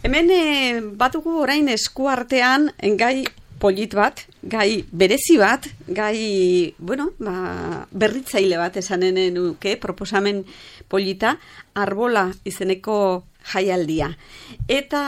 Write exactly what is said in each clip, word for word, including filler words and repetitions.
hemen e, batugu orain eskuartean gai polit bat, gai berezi bat, gai, bueno, ba, berritzaile bat esanen nuke, proposamen polita, arbola izeneko jaialdia. Eta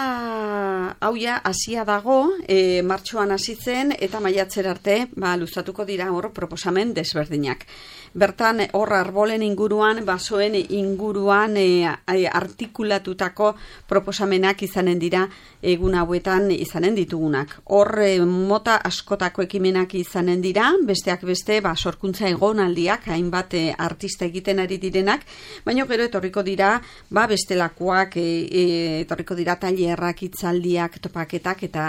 hau ja hasia dago, e, martxoan hasi zen eta maiatzer arte, ba, luzatuko dira hor proposamen desberdinak. Bertan, hor arbolen inguruan, basoen inguruan e, artikulatutako proposamenak izanen dira egun hauetan izanen ditugunak. Hor e, mota askotako ekimenak izanen dira, besteak beste, ba, sorkuntza egonaldiak, hainbat e, artista egiten ari direnak, baina gero etorriko dira, ba, bestelakoak, e, e, etorriko dira tailerrak, hitzaldiak, topaketak eta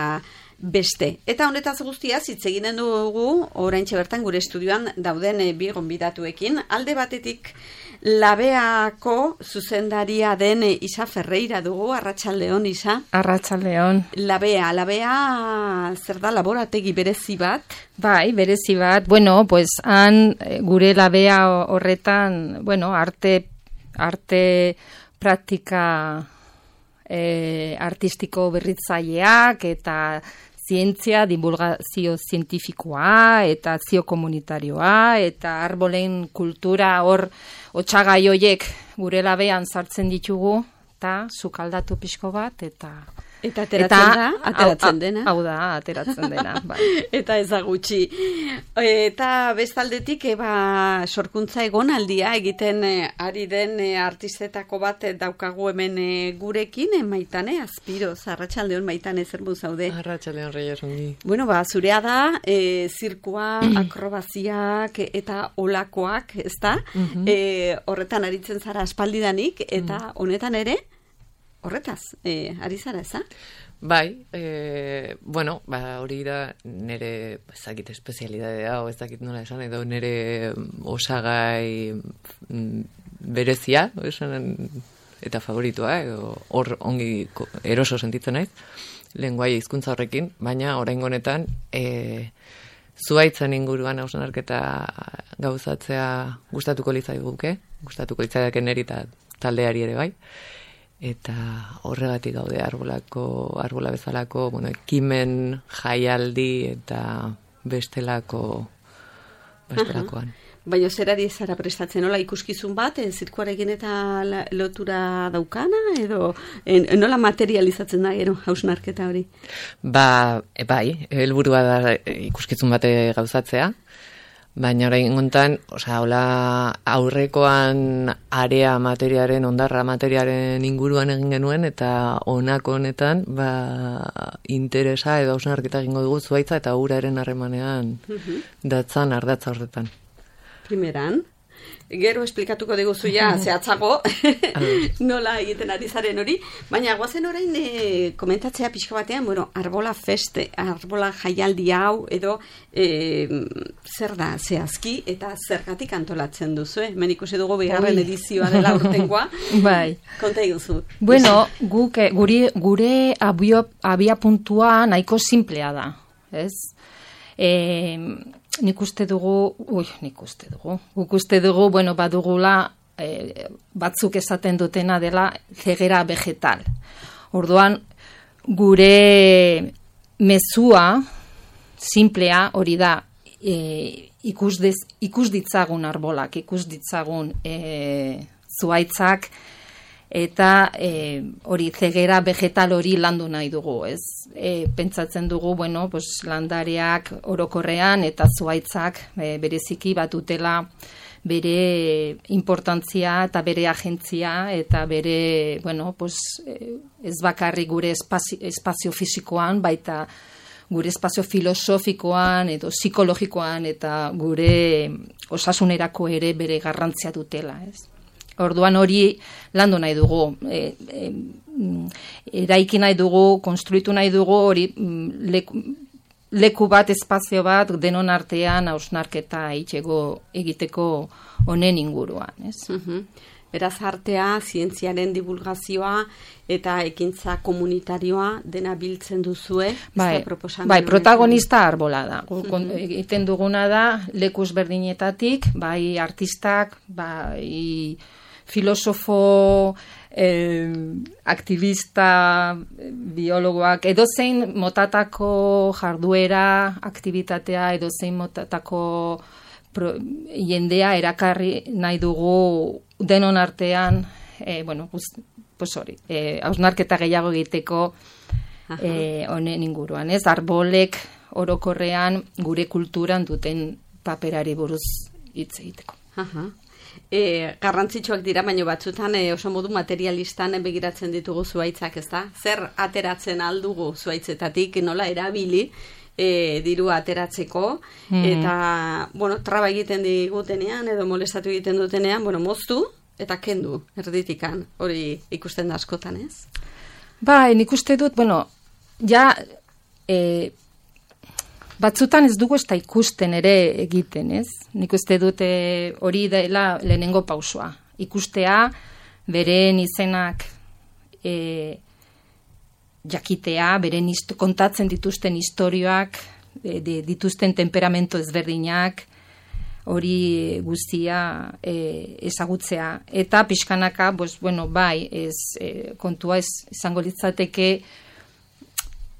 beste. Eta honetaz guztiaz hitz eginen dugu oraintxe bertan gure estudioan dauden e, bi gonbidatuekin. Alde batetik Labeako zuzendaria den e, Isa Ferreira dugu. Arratsaldeon, Isa. Arratsaldeon. Labea, Labea zer da, laborategi berezi bat? Bai, berezi bat. Bueno, pues han gure Labea horretan, bueno, arte arte praktika eh, artistiko berritzaileak eta zientzia, divulgazio zientifikoa eta zio komunitarioa eta arbolen kultura hor otsagai hoiek gure Labean sartzen ditugu eta sukaldatu pixko bat eta Eta ateratzen eta, da, ateratzen dena. Hau da, ateratzen dena. Bai. Eta ez da gutxi. Eta bestaldetik, eba, sorkuntza egonaldia egiten e, ari den e, artistetako bat e, daukagu hemen e, gurekin, e, Maitane Azpiroz. Arratsaldeon, Maitane, zer mu zaude? Arratsaldeon, Reyes, ongi. Bueno, ba, zurea da, e, zirkua, akrobaziak eta olakoak, ez da? Uh-huh. E, horretan aritzen zara aspaldidanik, eta uh-huh. honetan ere, horretaz, e, ari zara, eza? Bai, e, bueno, ba, hori da nire, ezakit espezialidadea, o ezakit nola esan, edo nire osagai berezia, esan, eta favoritua, edo hor ongi eroso sentitzen naiz, lenguaia hizkuntza horrekin, baina oraingo honetan, e, zuhaitzen inguruan hausnarketa gauzatzea gustatuko litzaiguke, gustatuko litzaidake niri eta taldeari ere bai, eta horregatik gaude arbolako, arbola bezalako, bueno, ekimen, jaialdi eta bestelako, bestelakoan. Aha. Baina zerari zara prestatzen, nola ikuskizun bat, e, zirkuarekin eta la, lotura daukana, edo en, nola materializatzen da gero hausnarketa hori? Ba, e, bai, helburua da ikuskizun bate gauzatzea, baina orain gontan, osea, hola aurrekoan area materiaren, ondarra materiaren inguruan egin genuen, eta honako honetan, ba, interesa edo hausnarketa egingo dugu zuhaitza eta uraren harremanean uh-huh. datzan ardatza horretan. Primeran, gero esplikatuko diguzu ja zehatzago nola egiten ari zaren hori, baina guazen orain e, komentatzea pixka batean, bueno, arbola feste, arbola jaialdi hau, edo e, zer da zehazki eta zergatik antolatzen duzu, eh? Hemen ikusi dugu bigarren edizioa dela urtengoa. Bai. Konta iguzu. Bueno, guk, guri, gure abio, abia puntua nahiko simplea da, ez? Eh, nik uste dugu, ui, nik uste dugu, guk uste dugu, bueno, badugula e, batzuk esaten dutena dela zegera vegetal. Orduan, gure mezua, simplea, hori da, e, ikus, dez, ikus ditzagun arbolak, ikus ditzagun e, zuhaitzak, eta e, hori zegera vegetal hori landu nahi dugu, ez? E, pentsatzen dugu, bueno, pues, landareak orokorrean eta zuhaitzak e, bereziki batutela bere importantzia eta bere agentzia eta bere, bueno, pues, e, ez bakarrik gure espazio, espazio fisikoan, baita gure espazio filosofikoan edo psikologikoan eta gure osasunerako ere bere garrantzia dutela, ez? Orduan hori landu nahi dugu, e, e, eraiki nahi dugu, konstruitu nahi dugu, hori leku, leku bat, espazio bat, denon artean hausnarketa itxego egiteko honen inguruan, ez? Uh-huh. Beraz, artea, zientziaren divulgazioa eta ekintza komunitarioa dena biltzen duzue. Bai, bai, protagonista arbola da. Uh-huh. Egiten duguna da, lekuz berdinetatik, bai artistak, bai filosofo, eh, aktivista, biologoak, edozein motatako jarduera, aktibitatea, edozein motatako pro, jendea erakarri nahi dugu denon artean, eh, bueno, pues hori, eh, hausnarketa gehiago egiteko eh, honen inguruan, ez? Arbolek orokorrean gure kulturan duten paperari buruz hitz egiteko. Aha. E, garrantzitsuak dira, baina batzutan e, oso modu materialistan begiratzen ditugu zuaitzak, ez da? Zer ateratzen aldugu zuaitzetatik, nola erabili e, diru ateratzeko, mm. eta, bueno, traba egiten digutenean, edo molestatu egiten dutenean, bueno, moztu eta kendu erditikan, hori ikusten da askotan, ez? Ba, nik uste dut, bueno, ja, e, batzutan ez dugu ez da ikusten ere egiten, ez? Nik uste dute hori dela lehenengo pausua. Ikustea, beren izenak e, jakitea, beren isto, kontatzen dituzten istorioak, e, de, dituzten temperamento ezberdinak, hori guztia e, ezagutzea. Eta pixkanaka, pues, bueno, bai, ez, e, kontua ez, izango litzateke,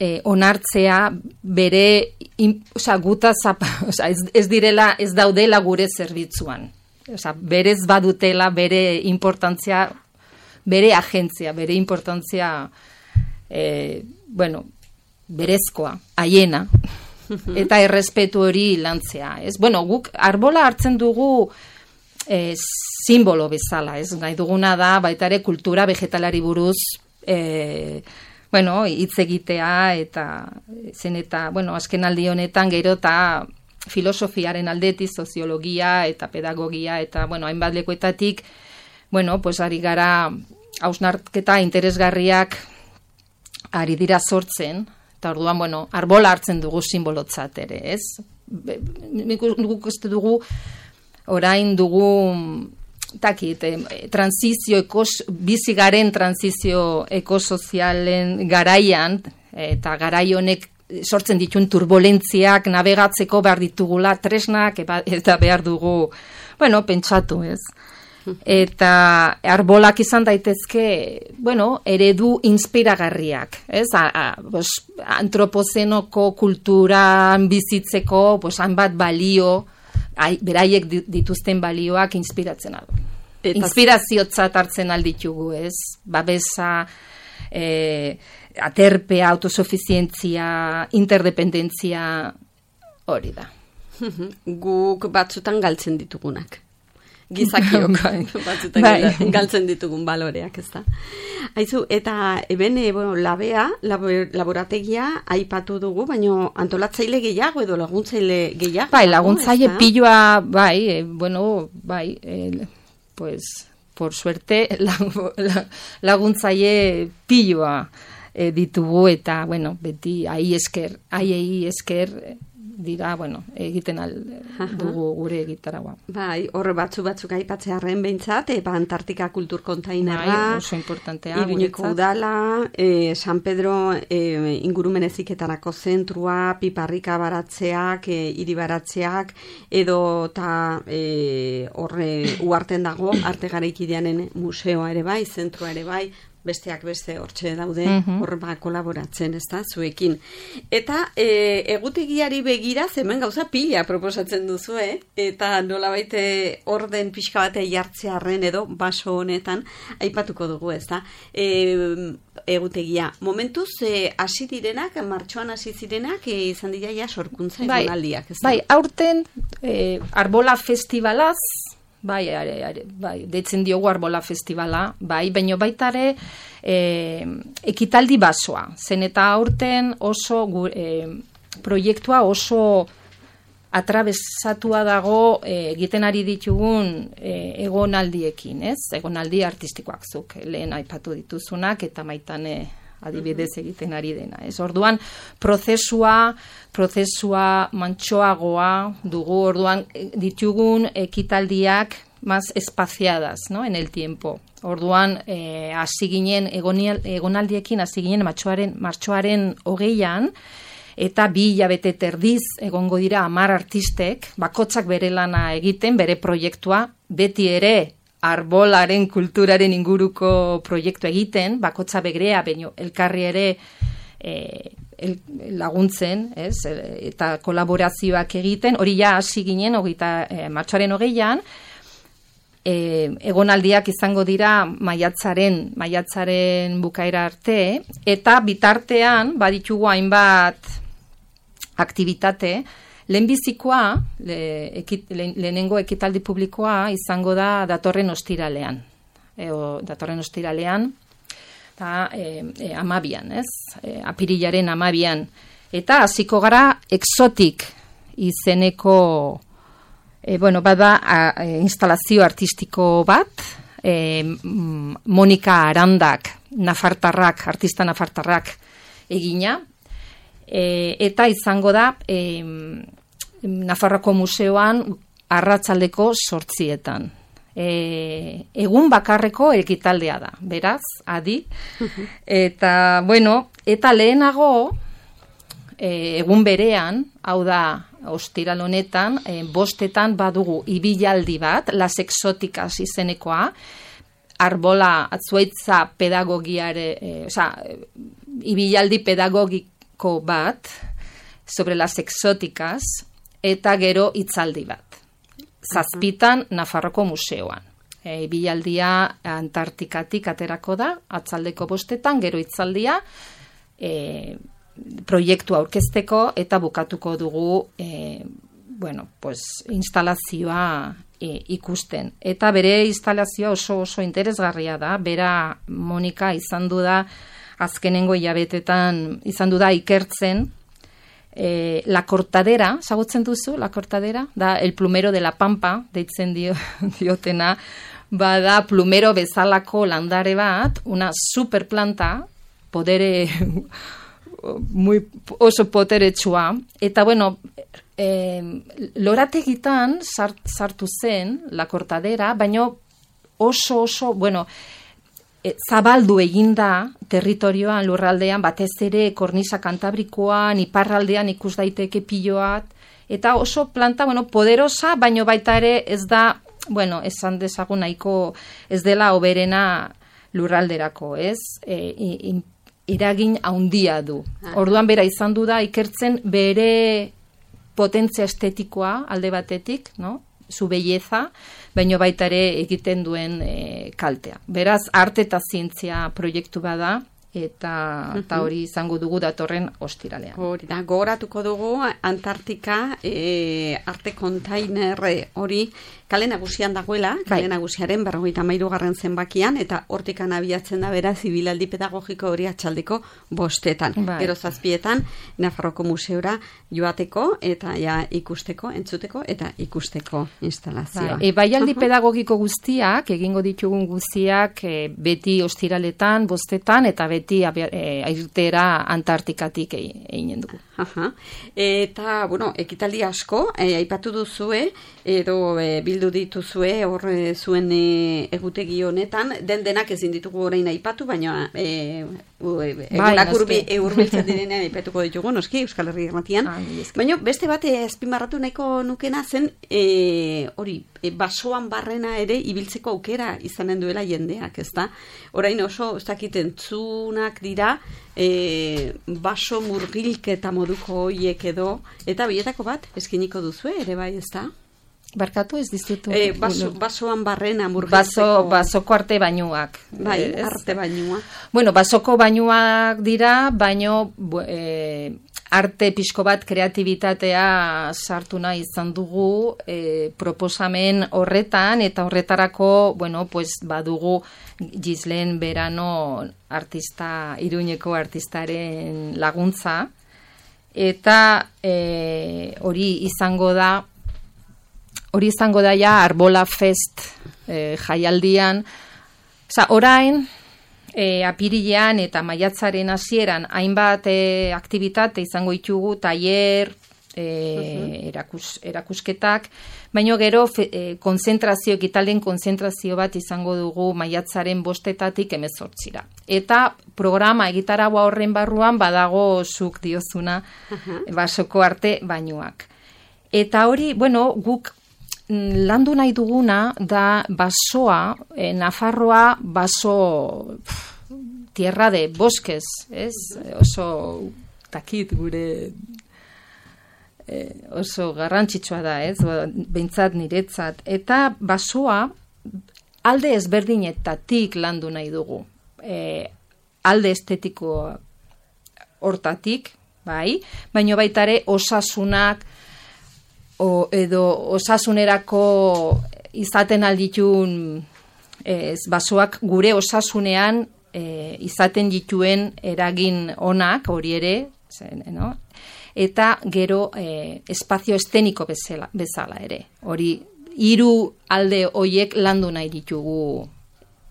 Eh, onartzea bere in, oza, guta zapa, oza, ez, ez direla, ez daudela gure zerbitzuan. Oza, berez badutela bere importantzia, bere agentzia, bere importantzia eh, bueno, berezkoa, haiena, eta errespetu hori lantzea. Ez? Bueno, guk arbola hartzen dugu eh, simbolo bezala, ez? Nahi duguna da, baita ere kultura vegetalari buruz eh, bueno, hitz egitea eta zen eta, bueno, azken aldi honetan gero eta filosofiaren aldetik, soziologia eta pedagogia eta, bueno, hainbat lekuetatik, bueno, pues ari gara hausnarketa interesgarriak ari dira sortzen, eta orduan, bueno, arbola hartzen dugu simbolotzat ere, ez? Nik uste dugu, orain dugu takit, eh, transizio ekos, bizigaren transizio ekosozialen garaian, eta garai honek sortzen dituen turbulentziak navegatzeko behar ditugula tresnak, eta behar dugu, bueno, pentsatu, ez? Eta arbolak izan daitezke, bueno, eredu inspiragarriak, ez? A, a, bos, antropozenoko kulturan bizitzeko, bos, hanbat balio, Ai, beraiek dituzten balioak inspiratzen adu. Inspiraziotzat hartzen alditugu, ez? Babesa, eh, aterpea, autosuficientzia, interdependentzia, hori da. Guk batzutan galtzen ditugunak. Gizakiok batzutan bai. Galtzen ditugun baloreak, ez da. Aizu, eta eben, e, bueno, labea, labor, laborategia aipatu dugu, baina antolatzaile gehiago edo laguntzaile gehiago. Bai, laguntzaile no, piloa, bai, e, bueno, bai, e, pues, por suerte, laguntzaile piloa e, ditugu, eta, bueno, beti, ahi esker, ahi esker, dira, bueno, egiten al dugu gure egitaragua. Bai, horre batzu batzuk aipatzearren behintzat, eba Antartika kultur kontainerra, bai, oso importantea, Iruñeko udala, e, San Pedro e, ingurumen heziketarako zentrua, piparrika baratzeak, e, hiri baratzeak, edo eta e, horre uarten dago, arte garaikideanen museoa ere bai, zentrua ere bai, besteak beste hortxe daude, uh-huh. hor ba kolaboratzen, ez da, zuekin. Eta e, egutegiari begira, hemen gauza pila proposatzen duzu, eh? Eta nolabait orden pixka bate jartzearren edo baso honetan aipatuko dugu, ez da. E, egutegia, momentuz hasi e, direnak, martxoan hasi zirenak, e, izan dira ja sorkuntza bai, egonaldiak, ez da. Bai, aurten e, Arbola Festivalaz, Bai, are, are, bai, deitzen diogu Arbola Festivala, bai, baino baitare e, ekitaldi basoa. Zen eta aurten oso e, proiektua oso atrabesatua dago e, egiten ari ditugun e, egonaldiekin, ez? Egonaldi artistikoak zuk, lehen aipatu dituzunak eta maitane adibidez egiten ari dena. Ez orduan prozesua, prozesua mantsoagoa dugu, orduan ditugun ekitaldiak más espaciadas, ¿no? En el tiempo. Orduan eh, hasi ginen egonaldiekin hasi ginen martxoaren martxoaren hogeian eta bi hilabete terdiz egongo dira hamar artistek, bakotzak bere lana egiten, bere proiektua, beti ere arbolaren kulturaren inguruko proiektu egiten, bakotza begrea, baino elkarri ere e, el, laguntzen, ez? Eta kolaborazioak egiten, hori ja hasi ginen, hogeita, e, martxoaren hogeian, e, egonaldiak izango dira maiatzaren, maiatzaren bukaera arte, eta bitartean baditugu hainbat aktivitate. Lehenbizikoa, le, ekit, le, lehenengo ekitaldi publikoa izango da datorren ostiralean. E, o, datorren ostiralean, eta e, e, amabian, ez? E, apirilaren amabian. Eta hasiko gara exotik izeneko, e, bueno, bada a, e, instalazio artistiko bat, e, Monika Arandak, nafartarrak, artista nafartarrak egina, E, eta izango da e, Nafarroako Museoan arratsaldeko sortzietan. E, egun bakarreko ekitaldea da, beraz, adi. Eta, bueno, eta lehenago, e, egun berean, hau da, ostiral honetan, e, bostetan badugu ibilaldi bat, Las Exóticas izenekoa, arbola atzuaitza pedagogiare, e, oza, ibilaldi pedagogik bat, sobre las exóticas, eta gero hitzaldi bat. Zazpitan Nafarroko Museoan. E, bilaldia Antartikatik aterako da, atzaldeko bostetan, gero hitzaldia, e, proiektu aurkezteko, eta bukatuko dugu, e, bueno, pues, instalazioa e, ikusten. Eta bere instalazioa oso oso interesgarria da, bera Monika izan du da, azkenengo hilabetetan izan du da ikertzen, e, La Cortadera, zagutzen duzu, La Cortadera, da el plumero de la pampa, deitzen dio, diotena, bada plumero bezalako landare bat, una superplanta, podere, muy, oso poteretsua, eta bueno, e, lorategitan sart, sartu zen La Cortadera, baino oso oso, bueno, E, zabaldu eginda territorioan, lurraldean, batez ere kornisa kantabrikoan, iparraldean ikus daiteke piloat, eta oso planta, bueno, poderosa, baino baita ere ez da, bueno, esan dezagun nahiko ez dela oberena lurralderako, ez? E, in, iragin handia du. Orduan bera izan du da ikertzen bere potentzia estetikoa alde batetik, no? Zu belleza, baino baita ere egiten duen e, kaltea. Beraz, arte eta zientzia proiektu bada, eta, eta hori izango dugu datorren ostiralean. Hori da, gogoratuko dugu Antartika e, arte kontainer hori kale nagusian dagoela, kale bai. Nagusiaren berrogeita hamairu garren zenbakian, eta hortikan abiatzen da bera zibilaldi pedagogiko hori atxaldeko bostetan. Bai. Gero zazpietan, Nafarroko Museora joateko, eta ja ikusteko, entzuteko, eta ikusteko instalazioa. Bai, e, baialdi uh-huh. pedagogiko guztiak, egingo ditugun guztiak, e, beti ostiraletan, bostetan, eta beti e, airtera Antartikatik eginen dugu. Aha. Eta, bueno, ekitaldi asko, e, aipatu duzue, edo e, bildu dituzue, hor e, zuen e, egutegi honetan, den denak ezin ditugu orain aipatu, baina e, egunak bai, urbiltzen direnean aipatuko ditugu, noski, Euskal Herri Irratian. Ah, baina beste bat azpimarratu nahiko nukena zen, e, hori, e, basoan barrena ere ibiltzeko aukera izanen duela jendeak, ez da? Orain oso, ez dakit entzunak dira, e, baso murgilketa moduko hoiek edo, eta bietako bat, eskiniko duzue, ere bai, ez da? Barkatu ez dizutu. E, baso, basoan barrena murgiltzeko. Baso, basoko arte bainuak. Bai, ez? Arte bainua. Bueno, basoko bainuak dira, baino e, arte pixko bat kreatibitatea sartu nahi izan dugu e, proposamen horretan, eta horretarako, bueno, pues badugu Gislen Berano artista, Iruñeko artistaren laguntza, eta e, hori izango da, hori izango da ja Arbola Fest e, jaialdian, oza, orain, e, apirilean eta maiatzaren hasieran hainbat e, aktivitate izango ditugu, tailer, e, uh-huh. erakus, erakusketak, baino gero fe, e, konzentrazio, ekitalden konzentrazio bat izango dugu maiatzaren bostetatik hemezortzira. Eta programa egitaragua horren barruan badago zuk diozuna uh-huh. basoko arte bainuak. Eta hori, bueno, guk landu nahi duguna da basoa, eh, Nafarroa baso pff, tierra de bosques, ez? Oso takit gure eh, oso garrantzitsua da, ez? Behintzat niretzat. Eta basoa alde ezberdinetatik landu nahi dugu. Eh, alde estetiko hortatik, bai, baino baitare osasunak o, edo osasunerako izaten alditun ez, basoak gure osasunean e, izaten dituen eragin onak, hori ere, zen, no? Eta gero e, espazio esteniko bezala, bezala ere. Hori hiru alde hoiek landu nahi ditugu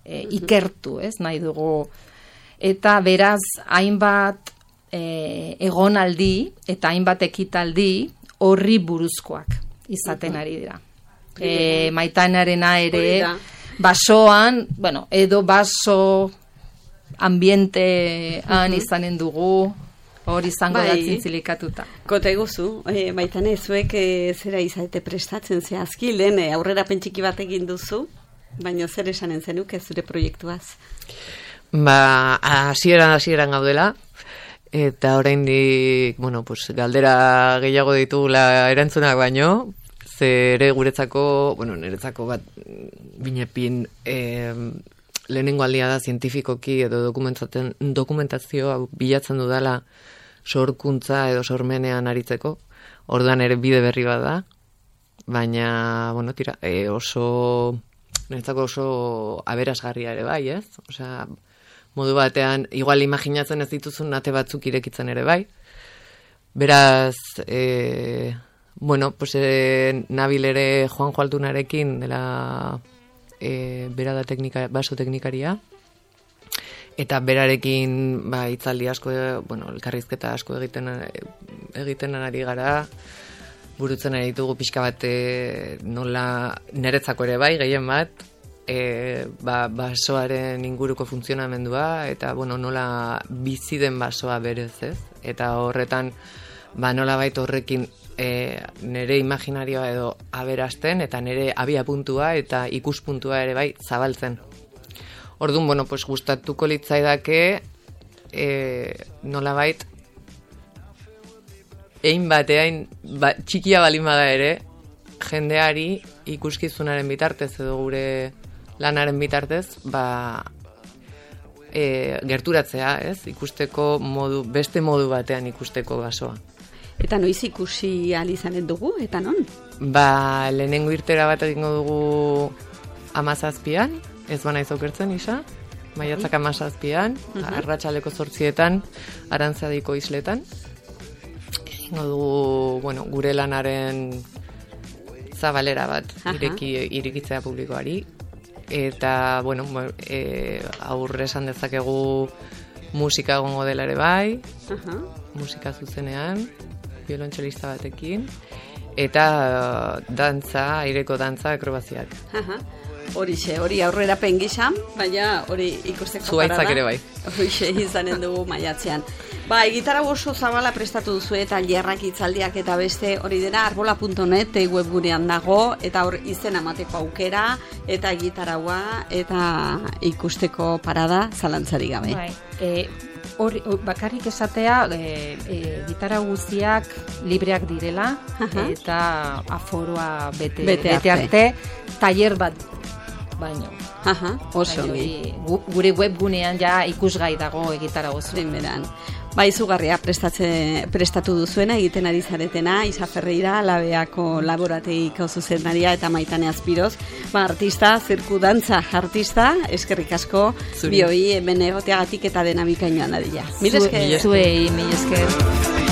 e, ikertu, ez? Nahi dugu. Eta beraz, hainbat e, egonaldi eta hainbat ekitaldi horri buruzkoak izaten ari dira. E, Maitanarena ere basoan, bueno, edo baso ambientean izanen dugu, hori izango bai, da zintzilikatuta. Kote guzu, e, Maitane, zuek e, zera izate prestatzen zehazki, lehen e, aurrera pentsiki bat egin duzu, baina zer esanen zenuke zure proiektuaz? Ba, hasieran hasieran gaudela, eta oraindik, bueno, pues, galdera gehiago ditugula erantzunak baino, ze ere guretzako, bueno, niretzako bat binepin eh, lehenengo aldia da zientifikoki edo dokumentazioa bilatzen dudala sorkuntza edo sormenean aritzeko, orduan ere bide berri bat da, baina, bueno, tira, e, oso, niretzako oso aberasgarria ere bai, ez? Osea, modu batean, igual imaginatzen ez dituzun ate batzuk irekitzen ere bai. Beraz, e, bueno, pues e, nabil ere Juan Joaltunarekin dela e, bera da teknika, baso teknikaria, eta berarekin ba, itzaldi asko, bueno, elkarrizketa asko egiten, egiten ari gara, burutzen ari ditugu pixka bat e, nola niretzako ere bai, gehien bat, E, ba, basoaren inguruko funtzionamendua eta bueno, nola bizi den basoa berez, ez? Eta horretan ba, nola baita horrekin e, nire imaginarioa edo aberasten eta nire abia puntua eta ikuspuntua ere bai zabaltzen. Orduan, bueno, pues, gustatuko litzaidake e, nola bait egin batean ba, txikia balin bada ere jendeari ikuskizunaren bitartez edo gure lanaren bitartez, ba, e, gerturatzea, ez? Ikusteko modu, beste modu batean ikusteko basoa. Eta noiz ikusi ahal izanen dugu, eta non? Ba, lehenengo irtera bat egingo dugu amazazpian, ez bana izokertzen, isa, maiatzak amazazpian, uh-huh. arratsaleko zortzietan, Arantzadiko isletan. Egingo dugu, bueno, gure lanaren zabalera bat, uh-huh. ireki, irekitzea publikoari, eta, bueno, e, aurre esan dezakegu musika egongo dela ere bai, uh-huh. musika zuzenean, biolontxelista batekin, eta dantza, aireko dantza, akrobaziak. Uh-huh. Horixe, hori aurrera pengisan, baina hori ikusteko Zuaitzak parada. Ere bai. Horixe, izanen dugu maiatzean. Ba, egitara oso zabala prestatu duzu eta tailerrak, hitzaldiak eta beste hori dena arbola puntu net webgunean dago, eta hor izen amateko aukera, eta egitaraua, eta ikusteko parada zalantzarik gabe. Bai, e, hor, bakarrik esatea, e, e, gitara guztiak libreak direla, uh-huh. eta aforoa bete, bete, bete arte, tailer bat baino. Aha, oso ongi. Gure webgunean ja ikusgai dago egitara oso. Denberan. Ba, izugarria prestatze, prestatu duzuena, egiten ari zaretena, Isa Ferreira, Labeako laborateiko zuzendaria eta Maitane Azpiroz. Ba, artista, zirku dantza artista, eskerrik asko, bioi hemen egoteagatik eta dena bikainoan adila. Mil esker. Zuei, mil esker.